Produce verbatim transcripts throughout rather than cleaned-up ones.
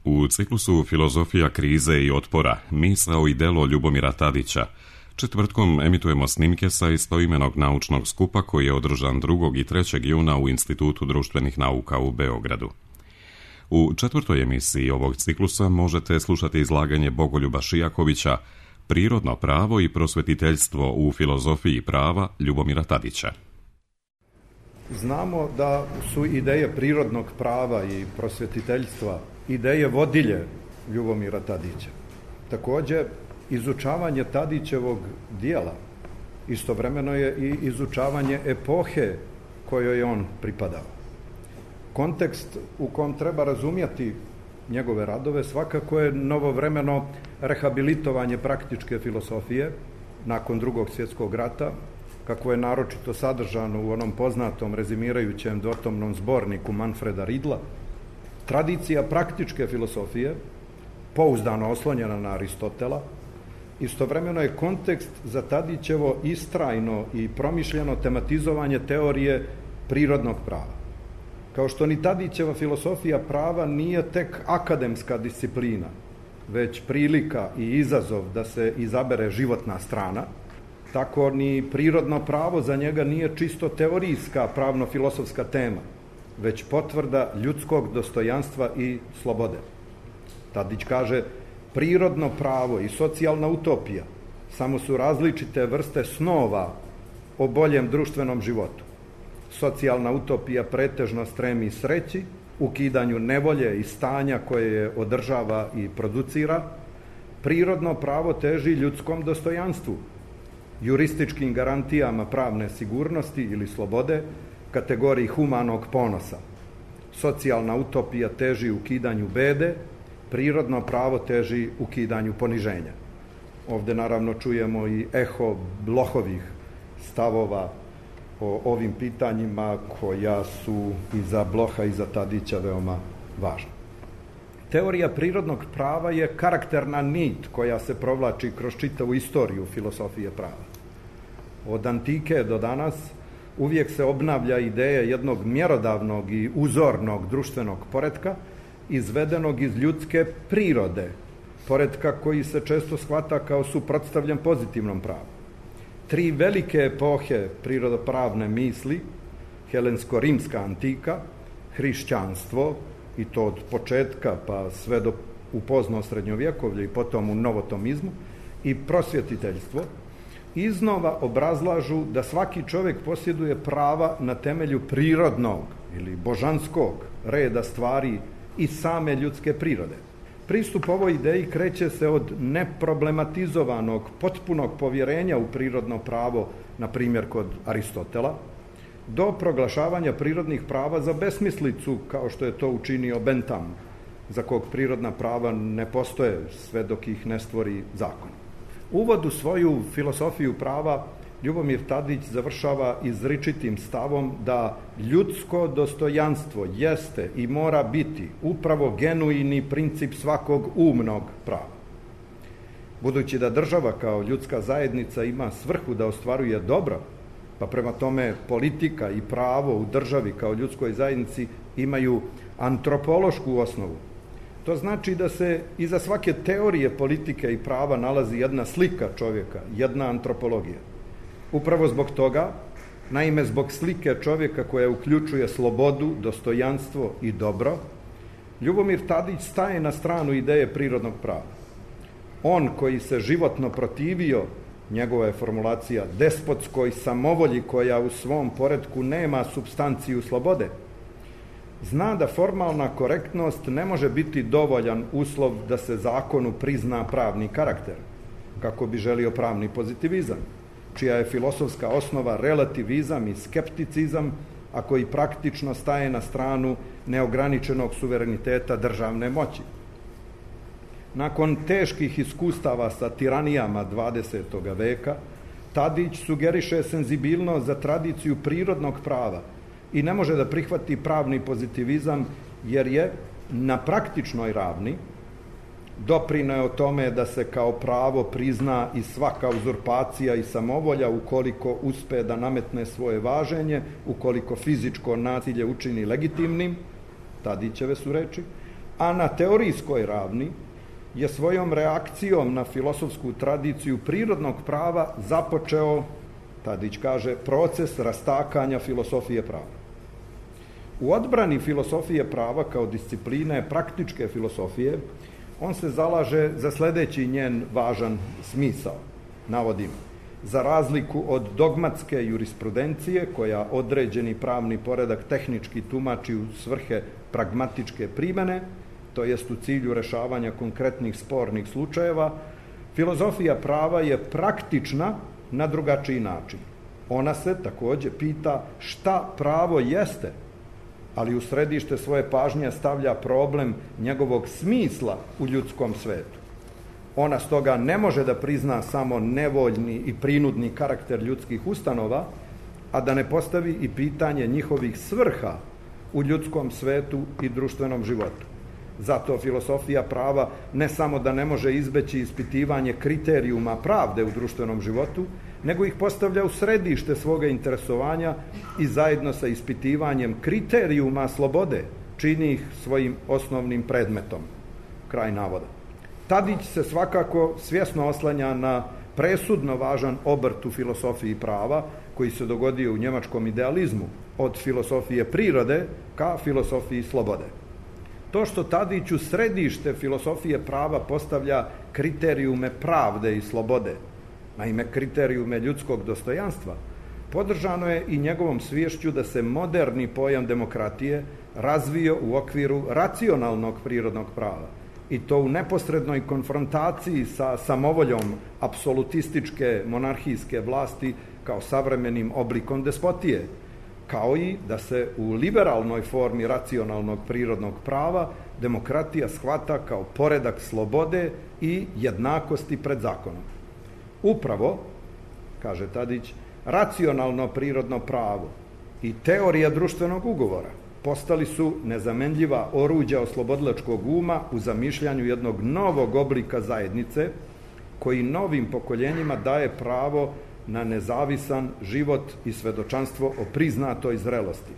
U ciklusu Filozofija krize i otpora, misao i delo Ljubomira Tadića, četvrtkom emitujemo snimke sa istoimenog naučnog skupa koji je održan drugog i trećeg juna u Institutu društvenih nauka u Beogradu. U četvrtoj emisiji ovog ciklusa možete slušati izlaganje Bogoljuba Šijakovića Prirodno pravo i prosvetiteljstvo u filozofiji prava Ljubomira Tadića. Znamo da su ideje prirodnog prava i prosvetiteljstva ideje vodilje Ljubomira Tadića. Takođe, izučavanje Tadićevog dijela istovremeno je i izučavanje epohe kojoj je on pripadao. Kontekst u kom treba razumjeti njegove radove svakako je novovremeno rehabilitovanje praktičke filosofije nakon drugog svjetskog rata, kako je naročito sadržano u onom poznatom rezimirajućem dvotomnom zborniku Manfreda Ridla. Tradicija praktičke filosofije, pouzdano oslonjena na Aristotela, istovremeno je kontekst za Tadićevo istrajno i promišljeno tematizovanje teorije prirodnog prava. Kao što ni Tadićeva filosofija prava nije tek akademska disciplina, već prilika i izazov da se izabere životna strana, tako ni prirodno pravo za njega nije čisto teorijska pravno-filosofska tema, već potvrda ljudskog dostojanstva i slobode. Tadić kaže, prirodno pravo i socijalna utopija samo su različite vrste snova o boljem društvenom životu. Socijalna utopija pretežno stremi sreći, ukidanju nevolje i stanja koje je održava i producira. Prirodno pravo teži ljudskom dostojanstvu, jurističkim garantijama pravne sigurnosti ili slobode, kategoriji humanog ponosa. Socijalna utopija teži ukidanju bede, prirodno pravo teži ukidanju poniženja. Ovde naravno čujemo i eho Blohovih stavova o ovim pitanjima koja su i za Bloha i za Tadića veoma važna. Teorija prirodnog prava je karakterna nit koja se provlači kroz čitavu istoriju filosofije prava. Od antike do danas uvijek se obnavlja ideja jednog mjerodavnog i uzornog društvenog poretka izvedenog iz ljudske prirode, poretka koji se često shvata kao suprotstavljen pozitivnom pravu. Tri velike epohe prirodopravne misli, helensko-rimska antika, hrišćanstvo, i to od početka pa sve do u pozno srednjovjekovlje i potom u novotomizmu, i prosvjetiteljstvo, iznova obrazlažu da svaki čovjek posjeduje prava na temelju prirodnog ili božanskog reda stvari i same ljudske prirode. Pristup ovoj ideji kreće se od neproblematizovanog, potpunog povjerenja u prirodno pravo, na primjer kod Aristotela, do proglašavanja prirodnih prava za besmislicu, kao što je to učinio Bentham, za kog prirodna prava ne postoje sve dok ih ne stvori zakon. Uvod u svoju filosofiju prava Ljubomir Tadić završava izričitim stavom da ljudsko dostojanstvo jeste i mora biti upravo genuini princip svakog umnog prava. Budući da država kao ljudska zajednica ima svrhu da ostvaruje dobro, pa prema tome politika i pravo u državi kao ljudskoj zajednici imaju antropološku osnovu. To znači da se iza svake teorije politike i prava nalazi jedna slika čovjeka, jedna antropologija. Upravo zbog toga, naime zbog slike čovjeka koja uključuje slobodu, dostojanstvo i dobro, Ljubomir Tadić staje na stranu ideje prirodnog prava. On koji se životno protivio, njegova je formulacija, despotskoj samovolji koja u svom poretku nema supstanciju slobode, zna da formalna korektnost ne može biti dovoljan uslov da se zakonu prizna pravni karakter, kako bi želio pravni pozitivizam, čija je filosofska osnova relativizam i skepticizam, a koji praktično staje na stranu neograničenog suvereniteta državne moći. Nakon teških iskustava sa tiranijama dvadesetog veka, Tadić sugeriše senzibilnost za tradiciju prirodnog prava i ne može da prihvati pravni pozitivizam jer je na praktičnoj ravni doprineo tome da se kao pravo prizna i svaka uzurpacija i samovolja ukoliko uspe da nametne svoje važenje, ukoliko fizičko nasilje učini legitimnim, Tadićeve su reči, a na teorijskoj ravni je svojom reakcijom na filosofsku tradiciju prirodnog prava započeo, Tadić kaže, proces rastakanja filosofije prava. U odbrani filosofije prava kao discipline praktičke filosofije, on se zalaže za sledeći njen važan smisao, navodim, za razliku od dogmatske jurisprudencije koja određeni pravni poredak tehnički tumači u svrhe pragmatičke primene, to jest u cilju rešavanja konkretnih spornih slučajeva, filozofija prava je praktična na drugačiji način. Ona se takođe pita šta pravo jeste, ali u središte svoje pažnje stavlja problem njegovog smisla u ljudskom svetu. Ona stoga ne može da prizna samo nevoljni i prinudni karakter ljudskih ustanova, a da ne postavi i pitanje njihovih svrha u ljudskom svetu i društvenom životu. Zato filosofija prava ne samo da ne može izbeći ispitivanje kriterijuma pravde u društvenom životu, nego ih postavlja u središte svoga interesovanja i zajedno sa ispitivanjem kriterijuma slobode čini ih svojim osnovnim predmetom. Kraj navoda. Tadić se svakako svjesno oslanja na presudno važan obrt u filosofiji prava koji se dogodio u njemačkom idealizmu od filosofije prirode ka filosofiji slobode. To što Tadić u središte filosofije prava postavlja kriterijume pravde i slobode, naime kriterijume ljudskog dostojanstva, podržano je i njegovom sviješću da se moderni pojam demokratije razvio u okviru racionalnog prirodnog prava i to u neposrednoj konfrontaciji sa samovoljom apsolutističke monarhijske vlasti kao savremenim oblikom despotije, kao i da se u liberalnoj formi racionalnog prirodnog prava demokratija shvata kao poredak slobode i jednakosti pred zakonom. Upravo, kaže Tadić, racionalno prirodno pravo i teorija društvenog ugovora postali su nezamenljiva oruđa oslobodilačkog uma u zamišljanju jednog novog oblika zajednice koji novim pokoljenjima daje pravo na nezavisan život i svedočanstvo o priznatoj zrelosti.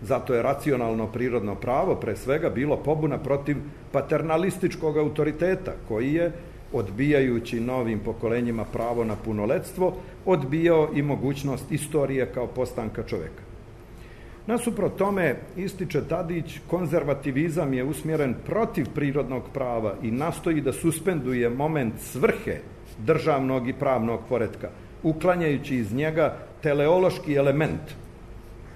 Zato je racionalno prirodno pravo pre svega bilo pobuna protiv paternalističkog autoriteta koji je, odbijajući novim pokolenjima pravo na punoletstvo, odbijao i mogućnost istorije kao postanka čoveka. Nasuprot tome, ističe Tadić, konzervativizam je usmjeren protiv prirodnog prava i nastoji da suspenduje moment svrhe državnog i pravnog poretka, uklanjajući iz njega teleološki element.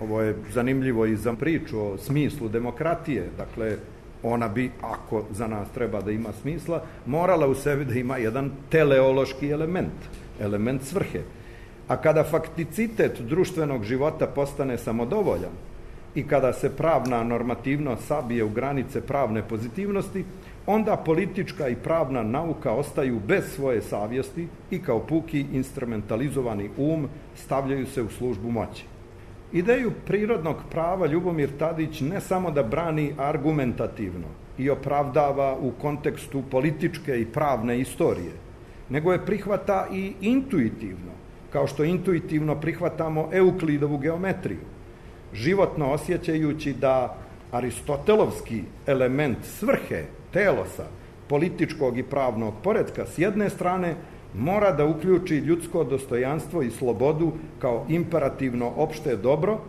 Ovo je zanimljivo i za priču o smislu demokratije, dakle, ona bi, ako za nas treba da ima smisla, morala u sebi da ima jedan teleološki element, element svrhe. A kada fakticitet društvenog života postane samodovoljan i kada se pravna normativnost sabije u granice pravne pozitivnosti, onda politička i pravna nauka ostaju bez svoje savjesti i kao puki instrumentalizovani um stavljaju se u službu moći. Ideju prirodnog prava Ljubomir Tadić ne samo da brani argumentativno i opravdava u kontekstu političke i pravne istorije, nego je prihvata i intuitivno, kao što intuitivno prihvatamo Euklidovu geometriju, životno osjećajući da aristotelovski element svrhe, telosa, političkog i pravnog poretka s jedne strane mora da uključi ljudsko dostojanstvo i slobodu kao imperativno opšte dobro,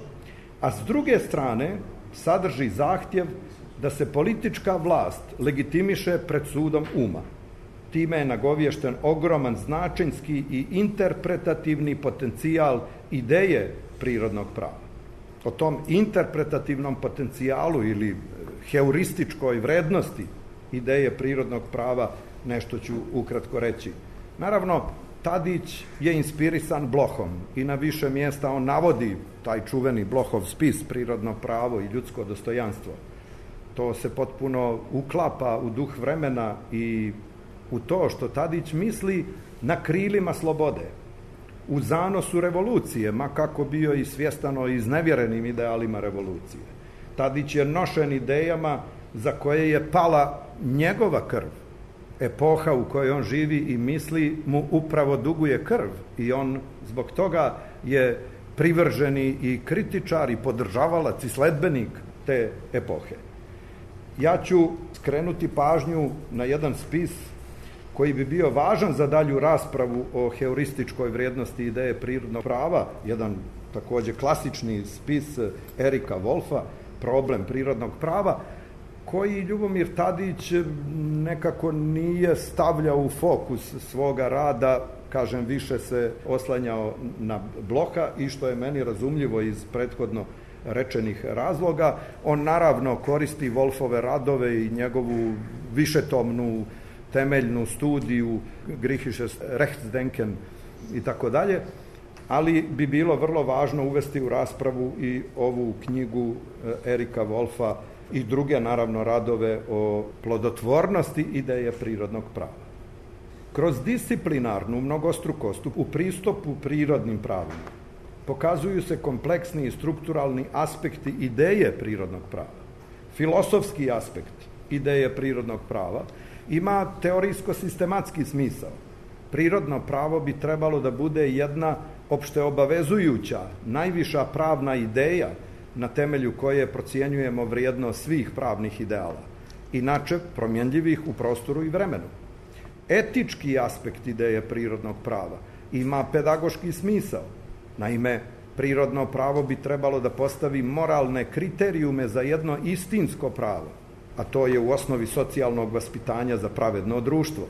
a s druge strane sadrži zahtjev da se politička vlast legitimiše pred sudom uma. Time je nagovješten ogroman značenjski i interpretativni potencijal ideje prirodnog prava. O tom interpretativnom potencijalu ili heurističkoj vrednosti ideje prirodnog prava nešto ću ukratko reći. Naravno, Tadić je inspirisan Blochom i na više mjesta on navodi taj čuveni Blochov spis prirodno pravo i ljudsko dostojanstvo. To se potpuno uklapa u duh vremena i u to što Tadić misli na krilima slobode, u zanosu revolucije, ma kako bio i svjestano iznevjerenim idealima revolucije. Tadić je nošen idejama za koje je pala njegova krv. Epoha u kojoj on živi i misli mu upravo duguje krv i on zbog toga je privrženi i kritičar i podržavalac i sledbenik te epohe. Ja ću skrenuti pažnju na jedan spis koji bi bio važan za dalju raspravu o heurističkoj vrijednosti ideje prirodnog prava, jedan takođe klasični spis Erika Wolfa, Problem prirodnog prava, koji Ljubomir Tadić nekako nije stavljao u fokus svoga rada, kažem, više se oslanjao na Bloha i što je meni razumljivo iz prethodno rečenih razloga. On naravno koristi Wolfove radove i njegovu višetomnu temeljnu studiju Griechisches Rechtsdenken i tako dalje, ali bi bilo vrlo važno uvesti u raspravu i ovu knjigu Erika Wolfa i druge, naravno, radove o plodotvornosti ideje prirodnog prava. Kroz disciplinarnu mnogostrukost u pristupu prirodnim pravima pokazuju se kompleksni i strukturalni aspekti ideje prirodnog prava. Filosofski aspekt ideje prirodnog prava ima teorijsko-sistematski smisao. Prirodno pravo bi trebalo da bude jedna opšteobavezujuća, najviša pravna ideja na temelju koje procjenjujemo vrijednost svih pravnih ideala, inače promjenljivih u prostoru i vremenu. Etički aspekt ideje prirodnog prava ima pedagoški smisao. Naime, prirodno pravo bi trebalo da postavi moralne kriterijume za jedno istinsko pravo, a to je u osnovi socijalnog vaspitanja za pravedno društvo.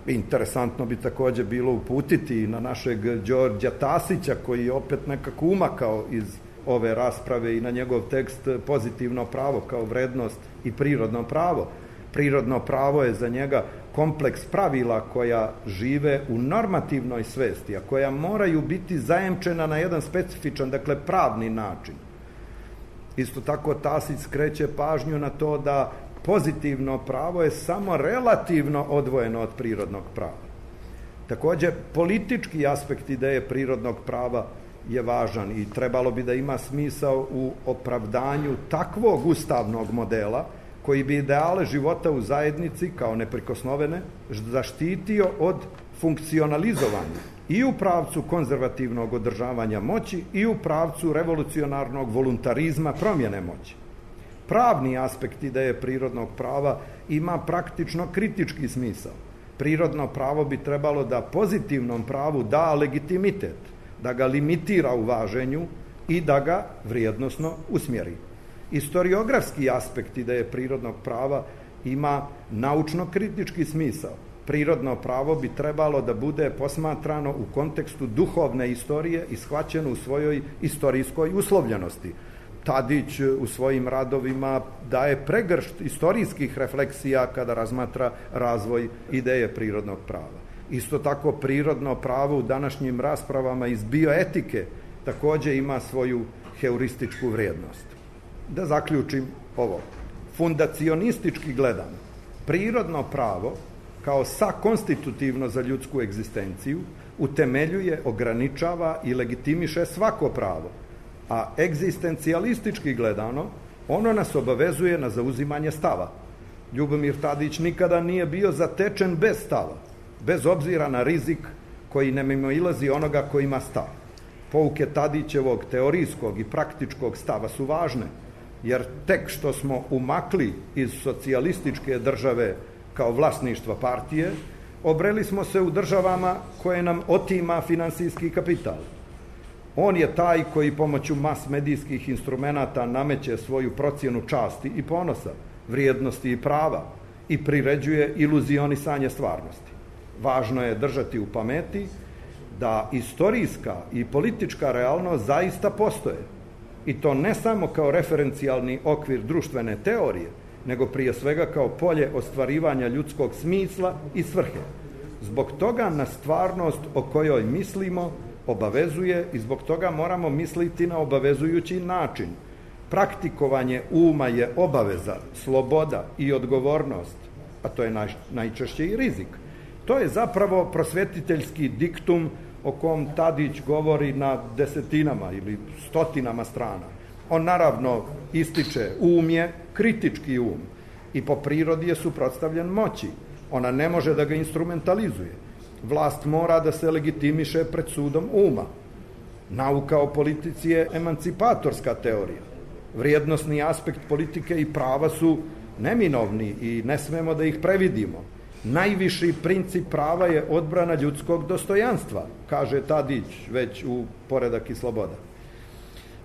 Interesantno bi takođe bilo uputiti na našeg Đorđa Tasića, koji je opet nekako umakao iz ove rasprave, i na njegov tekst Pozitivno pravo kao vrednost i prirodno pravo. Prirodno pravo je za njega kompleks pravila koja žive u normativnoj svesti, a koja moraju biti zajemčena na jedan specifičan, dakle pravni način. Isto tako Tasić skreće pažnju na to da pozitivno pravo je samo relativno odvojeno od prirodnog prava. Takođe, politički aspekt ideje prirodnog prava je važan i trebalo bi da ima smisao u opravdanju takvog ustavnog modela koji bi ideale života u zajednici kao neprikosnovene zaštitio od funkcionalizovanja i u pravcu konzervativnog održavanja moći i u pravcu revolucionarnog voluntarizma promjene moći. Pravni aspekt ideje prirodnog prava ima praktično kritički smisao. Prirodno pravo bi trebalo da pozitivnom pravu da legitimitet, da ga limitira u važenju i da ga vrijednosno usmjeri. Istoriografski aspekt ideje prirodnog prava ima naučno-kritički smisao. Prirodno pravo bi trebalo da bude posmatrano u kontekstu duhovne istorije i shvaćeno u svojoj istorijskoj uslovljenosti. Tadić u svojim radovima daje pregršt istorijskih refleksija kada razmatra razvoj ideje prirodnog prava. Isto tako, prirodno pravo u današnjim raspravama iz bioetike takođe ima svoju heurističku vrijednost. Da zaključim ovo. Fundacionistički gledano, prirodno pravo kao sakonstitutivno za ljudsku egzistenciju utemeljuje, ograničava i legitimiše svako pravo, a egzistencijalistički gledano ono nas obavezuje na zauzimanje stava. Ljubomir Tadić nikada nije bio zatečen bez stava, bez obzira na rizik koji ne mimoilazi onoga ko ima stav. Pouke Tadićevog teorijskog i praktičkog stava su važne, jer tek što smo umakli iz socijalističke države kao vlasništva partije, obreli smo se u državama koje nam otima finansijski kapital. On je taj koji pomoću mas medijskih instrumenata nameće svoju procjenu časti i ponosa, vrijednosti i prava i priređuje iluzionisanje stvarnosti. Važno je držati u pameti da istorijska i politička realnost zaista postoje, i to ne samo kao referencijalni okvir društvene teorije, nego prije svega kao polje ostvarivanja ljudskog smisla i svrhe. Zbog toga na stvarnost o kojoj mislimo obavezuje i zbog toga moramo misliti na obavezujući način. Praktikovanje uma je obaveza, sloboda i odgovornost, a to je najčešće i rizik. To je zapravo prosvetiteljski diktum o kom Tadić govori na desetinama ili stotinama strana. On naravno ističe um je kritički um i po prirodi je suprotstavljen moći. Ona ne može da ga instrumentalizuje. Vlast mora da se legitimiše pred sudom uma. Nauka o politici je emancipatorska teorija. Vrijednosni aspekt politike i prava su neminovni i ne smemo da ih previdimo. Najviši princip prava je odbrana ljudskog dostojanstva, kaže Tadić već u Poredak i sloboda.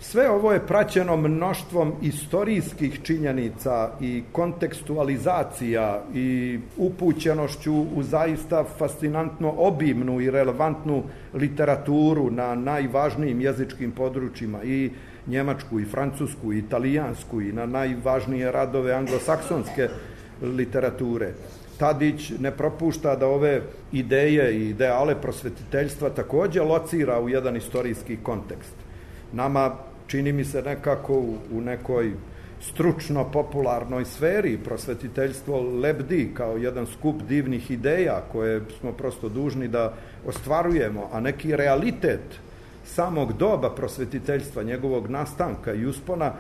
Sve ovo je praćeno mnoštvom istorijskih činjenica i kontekstualizacija i upućenošću u zaista fascinantno obimnu i relevantnu literaturu na najvažnijim jezičkim područjima, i njemačku, i francusku, i italijansku, i na najvažnije radove anglosaksonske literature. Tadić ne propušta da ove ideje i ideale prosvetiteljstva takođe locira u jedan istorijski kontekst. Nama, čini mi se, nekako u nekoj stručno-popularnoj sferi prosvetiteljstvo lebdi kao jedan skup divnih ideja koje smo prosto dužni da ostvarujemo, a neki realitet samog doba prosvetiteljstva, njegovog nastanka i uspona,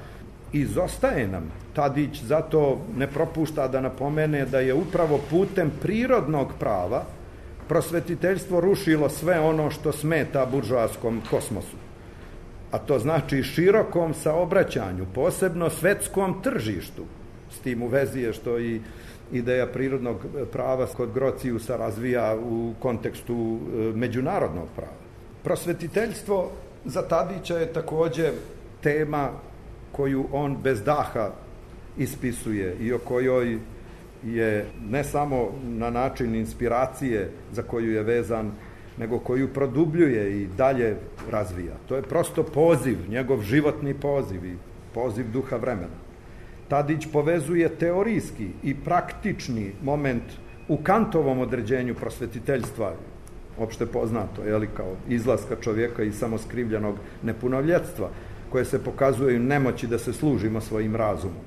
izostaje nam. Tadić zato ne propušta da napomene da je upravo putem prirodnog prava prosvetiteljstvo rušilo sve ono što smeta buržoaskom kosmosu. A to znači širokom saobraćanju, posebno svetskom tržištu. S tim u vezi je što i ideja prirodnog prava kod Grociusa razvija u kontekstu međunarodnog prava. Prosvetiteljstvo za Tadića je takođe tema koju on bez daha ispisuje i o kojoj je ne samo na način inspiracije za koju je vezan, nego koju produbljuje i dalje razvija. To je prosto poziv, njegov životni poziv i poziv duha vremena. Tadić povezuje teorijski i praktični moment u Kantovom određenju prosvetiteljstva, opšte poznato, je li, kao izlaska čovjeka iz samoskrivljenog nepunoljetstva, koje se pokazuje u nemoći da se služimo svojim razumom.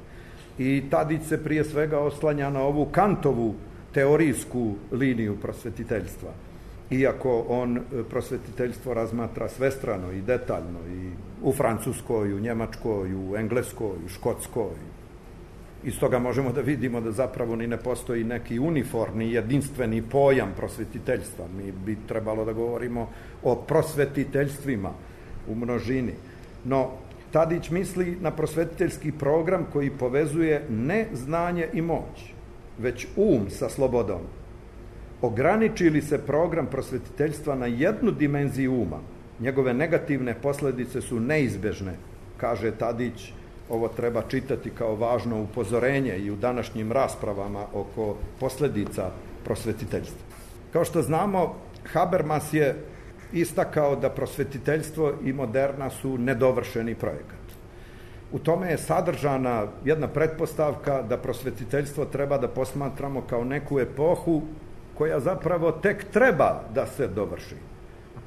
I Tadić se prije svega oslanja na ovu Kantovu teorijsku liniju prosvetiteljstva. Iako on prosvetiteljstvo razmatra svestrano i detaljno i u Francuskoj, u Njemačkoj, u Engleskoj, u Škotskoj. Iz toga možemo da vidimo da zapravo ni ne postoji neki uniformni, jedinstveni pojam prosvetiteljstva. Mi bi trebalo da govorimo o prosvetiteljstvima u množini. No, Tadić misli na prosvetiteljski program koji povezuje ne znanje i moć, već um sa slobodom. Ograniči li se program prosvetiteljstva na jednu dimenziju uma, njegove negativne posledice su neizbežne, kaže Tadić. Ovo treba čitati kao važno upozorenje i u današnjim raspravama oko posledica prosvetiteljstva. Kao što znamo, Habermas je istakao da prosvetiteljstvo i moderna su nedovršeni projekat. U tome je sadržana jedna pretpostavka da prosvetiteljstvo treba da posmatramo kao neku epohu koja zapravo tek treba da se dovrši.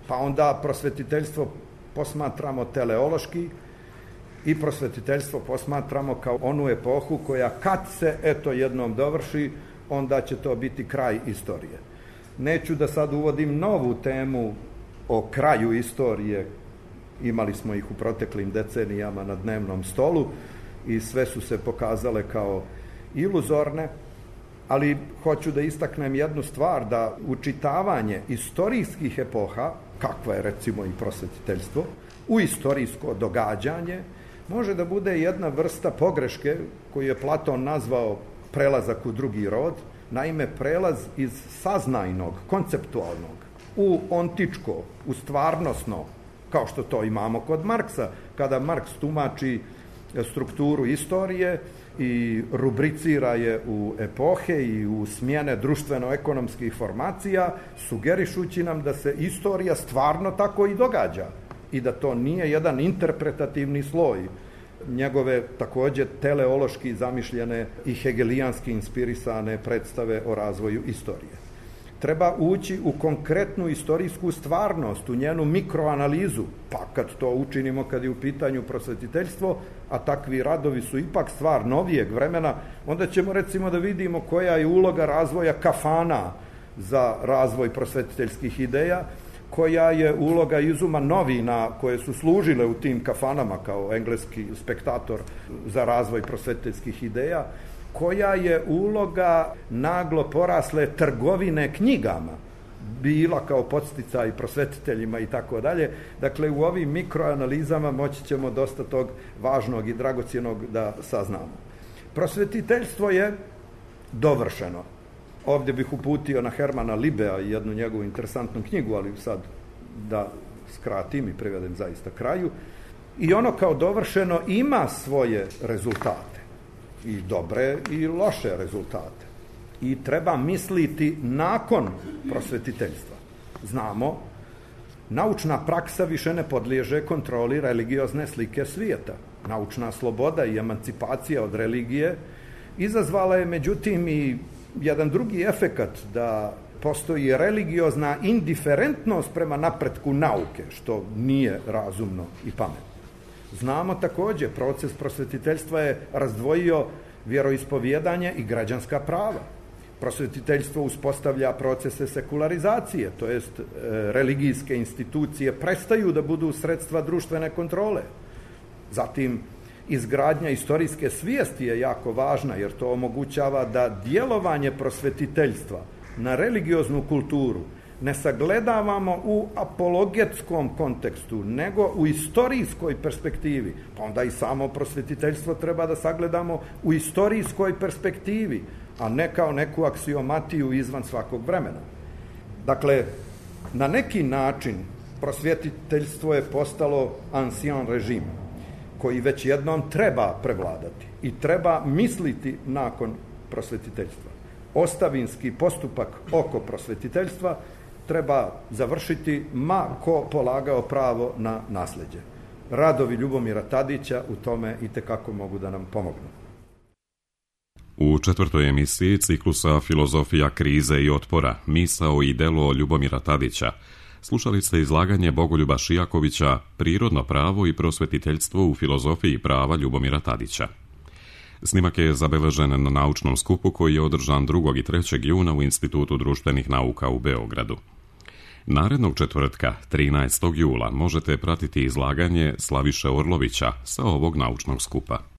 Pa onda prosvetiteljstvo posmatramo teleološki i prosvetiteljstvo posmatramo kao onu epohu koja kad se eto jednom dovrši, onda će to biti kraj istorije. Neću da sad uvodim novu temu o kraju istorije, imali smo ih u proteklim decenijama na dnevnom stolu i sve su se pokazale kao iluzorne, ali hoću da istaknem jednu stvar, da učitavanje istorijskih epoha, kakva je recimo i prosvetiteljstvo, u istorijsko događanje, može da bude jedna vrsta pogreške koju je Platon nazvao prelazak u drugi rod, naime prelaz iz saznajnog, konceptualnog, u ontičko, u stvarnosno, kao što to imamo kod Marksa, kada Marks tumači strukturu istorije i rubricira je u epohe i u smjene društveno-ekonomskih formacija, sugerišući nam da se istorija stvarno tako i događa i da to nije jedan interpretativni sloj njegove takođe teleološki zamišljene i hegelijanski inspirisane predstave o razvoju istorije. Treba ući u konkretnu istorijsku stvarnost, u njenu mikroanalizu, pa kad to učinimo kad je u pitanju prosvetiteljstvo, a takvi radovi su ipak stvar novijeg vremena, onda ćemo recimo da vidimo koja je uloga razvoja kafana za razvoj prosvetiteljskih ideja, koja je uloga izuma novina koje su služile u tim kafanama kao engleski spektator za razvoj prosvetiteljskih ideja, koja je uloga naglo porasle trgovine knjigama bila kao podsticaj prosvetiteljima i tako dalje. Dakle, u ovim mikroanalizama moći ćemo dosta tog važnog i dragocjenog da saznamo. Prosvetiteljstvo je dovršeno. Ovdje bih uputio na Hermana Libea i jednu njegovu interesantnu knjigu, ali sad da skratim i privedem zaista kraju. I ono kao dovršeno ima svoje rezultate. I dobre i loše rezultate. I treba misliti nakon prosvetiteljstva. Znamo, naučna praksa više ne podliježe kontroli religiozne slike svijeta. Naučna sloboda i emancipacija od religije izazvala je međutim i jedan drugi efekat, da postoji religiozna indiferentnost prema napretku nauke, što nije razumno i pametno. Znamo također, proces prosvetiteljstva je razdvojio vjeroispovjedanje i građanska prava. Prosvetiteljstvo uspostavlja procese sekularizacije, to jest e, religijske institucije prestaju da budu sredstva društvene kontrole. Zatim, izgradnja istorijske svijesti je jako važna, jer to omogućava da djelovanje prosvetiteljstva na religioznu kulturu ne sagledavamo u apologetskom kontekstu, nego u istorijskoj perspektivi. Pa onda i samo prosvetiteljstvo treba da sagledamo u istorijskoj perspektivi, a ne kao neku aksiomatiju izvan svakog vremena. Dakle, na neki način prosvetiteljstvo je postalo ancien režim, koji već jednom treba prevladati i treba misliti nakon prosvetiteljstva. Ostavinski postupak oko prosvetiteljstva treba završiti ma ko polagao pravo na nasljeđe. Radovi Ljubomira Tadića u tome itekako mogu da nam pomognu. U četvrtoj emisiji ciklusa Filozofija krize i otpora, misao i delo Ljubomira Tadića slušali ste izlaganje Bogoljuba Šijakovića Prirodno pravo i prosvetiteljstvo u filozofiji prava Ljubomira Tadića. Snimak je zabeležen na naučnom skupu koji je održan drugog i trećeg juna u Institutu društvenih nauka u Beogradu. Narednog četvrtka, trinaestog jula, možete pratiti izlaganje Slaviše Orlovića sa ovog naučnog skupa.